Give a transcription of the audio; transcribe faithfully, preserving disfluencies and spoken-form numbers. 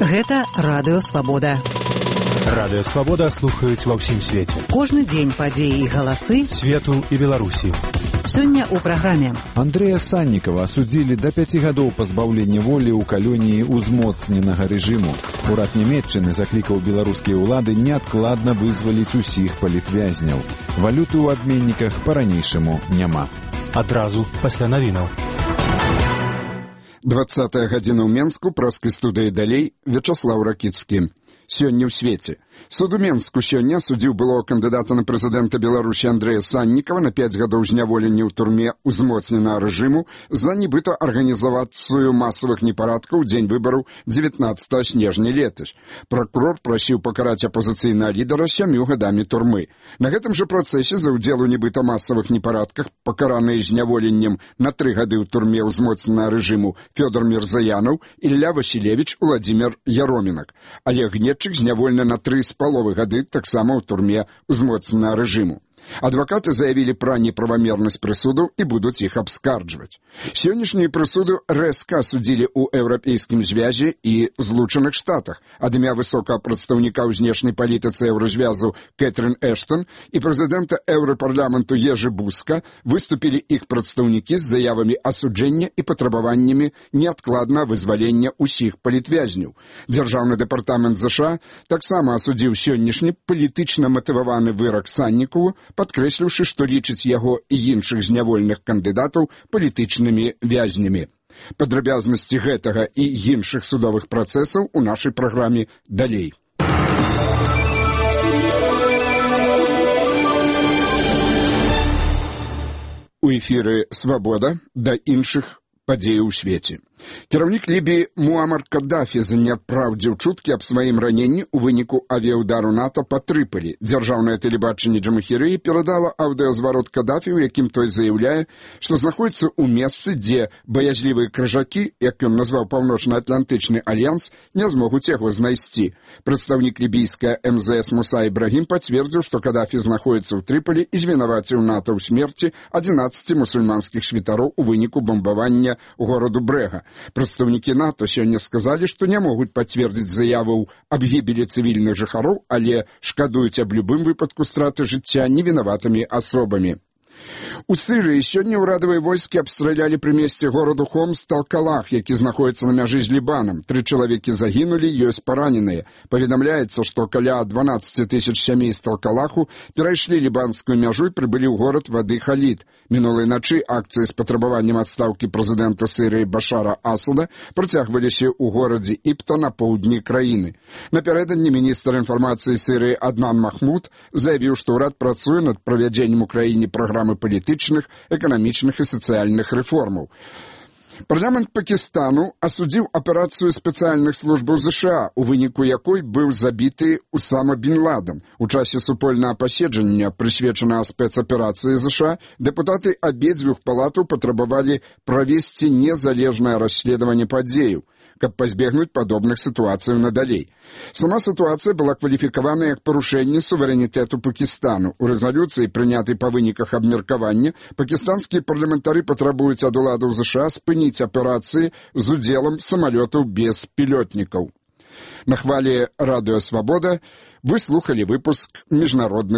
Гэта Радыё Свабода. Радыё Свабода слухаюць ва ўсім свеце. Кожны дзень падзеі і галасы свету і Беларусі. Сёння ў праграме. Андрэя Саннікава асудзілі да пяці гадоў пазбаўлення волі ў калоніі узмоцненага рэжыму. Урад Нямецчыны заклікаў беларускія ўлады неадкладна вызваліць усіх палітвязняў. Валюты ў абменніках па-ранейшаму няма. Адразу пасля навінаў. двадцатая гадзіна ў Менску, праскай студыі далей, Вячаслаў Ракіцкі. Сёння ў свеце. Суд у Менску сёння судзіў былого кандыдата на прэзідэнта Беларусі Андрэя Саннікава на пяць гадоў зняволення ў турме узмоцненага рэжыму за нібыта арганізавацыю масавых непарадкаў у дзень выбараў дзевятнаццатага снежня летась. Пракурор прасіў пакараць апазіцыйнага лідара сямю гадамі турмы. На гэтым жа працэсе за ўдзел у нібыта масавых непарадках, пакараныя зняволеннем на тры гады ў турме ўзмоцненага рэжыму Фёдор Мірзаянаў, Ілля Васілевіч, Уладзімір Яромінак. Олег Гнетчык зняволены на тры з паловай гады таксама ў турме ўзмоцненага рэжыму. Адвакаты заявілі пра неправамернасць прысудаў і будуць іх абскарджваць. Сённяшнюю прысуду рэзка асудзілі ў Еўрапейскім звязе і Злучаных Штатах. Ад імя высокага прадстаўніка ў знешняй палітыцы еўразвязу Кэтрын Эштон і прэзідэнта Еўрапарламенту Ежы Буска выступілі іх прадстаўнікі з заявамі асуджэння і патрабаваннямі неадкладнага вызвалення ўсіх палітвязняў. Дзяржаўны дэпартамент ЗША таксама асудзіў сённяшні палітычна матываваны вырак Саннікаву, падкрэсліўшы, што лічыць яго і іншых зняволеных кандыдатаў палітычнымі вязнямі. Падрабязнасці гэтага і іншых судовых працэсаў у нашай праграме далей. У эфіры «Свабода» да іншых падзеяў у свеце. Кіраўнік Лібіі Муамар Каддафі заняпраўдзіў чуткі аб сваім раненні ў выніку авіяўдару НАТО па Трыполі. Дзяржаўнае тэлебачанне Джамахірыі перадала аўдыазварот Каддафі, у якім той заяўляе, што знаходіцца ў месцы, дзе баязлівыя крыжакі, як ён назваў Паўночна-Атлантычны альянс, не змогуць яго знайсці. Прадстаўнік лібійская эм зэ эс Муса Ібрагім пацвердзіў, што Каддафі знаходіцца ў Трыполі і звінаваціў НАТО ў смерці адзінаццаці мусульманскіх святароў у выніку бамбавання гораду Брэга. Прадстаўнікі НАТО сёння сказалі, што не могуць пацвердзіць заяваў аб гібелі цывільных жыхароў, але шкадуюць аб любым выпадку страты жыцця невінаватымі асобамі. У Сырыі сёння ўрадавыя войскі абстралялі пры месцы гораду Хомс Талкалах, які знаходіцца на мяжы з Лібанам. Тры чалавекі загінулі, ёсць параненыя. Паведамляецца, што каля дванаццаць тысяч сямей з Талкалаху перайшлі лібанскую мяжу і прыбылі ў горад вады Халід. Мінулай начы акцыі з патрабаваннем адстаўкі прэзідэнта Сырыі Башара Асада працягваліся ў горадзе Іпта на поўдні краіны. Напярэдадні міністр інфармацыі Сырыі Аднан Махмуд заявіў, што ўрад працуе над правядзеннем у краіне праграмы палітычных, эканамічных і сацыяльных рэформаў. Парламент Пакістану асудзіў аперацыю спецыяльных службаў ЗША, у выніку якой быў забіты Усама бін Ладен. У часе супольнага паседжання, прысвечанага спецаперацыі ЗША, дэпутаты абедзвюх палатаў патрабавалі правесці незалежнае расследаванне падзеяў, каб пазбегнуць падобных сітуацый надалей. Сама сітуацыя была кваліфікавана як парушэнне суверэнітэту Пакістану. У рэзалюцыі, прынятай па выніках абмеркавання, пакістанскія парламентары патрабуюць ад уладаў ЗША спыніць аперацыі з удзелам самалётаў без пілётнікаў. На хвалі Радыё Свабода вы слухалі выпуск міжнародных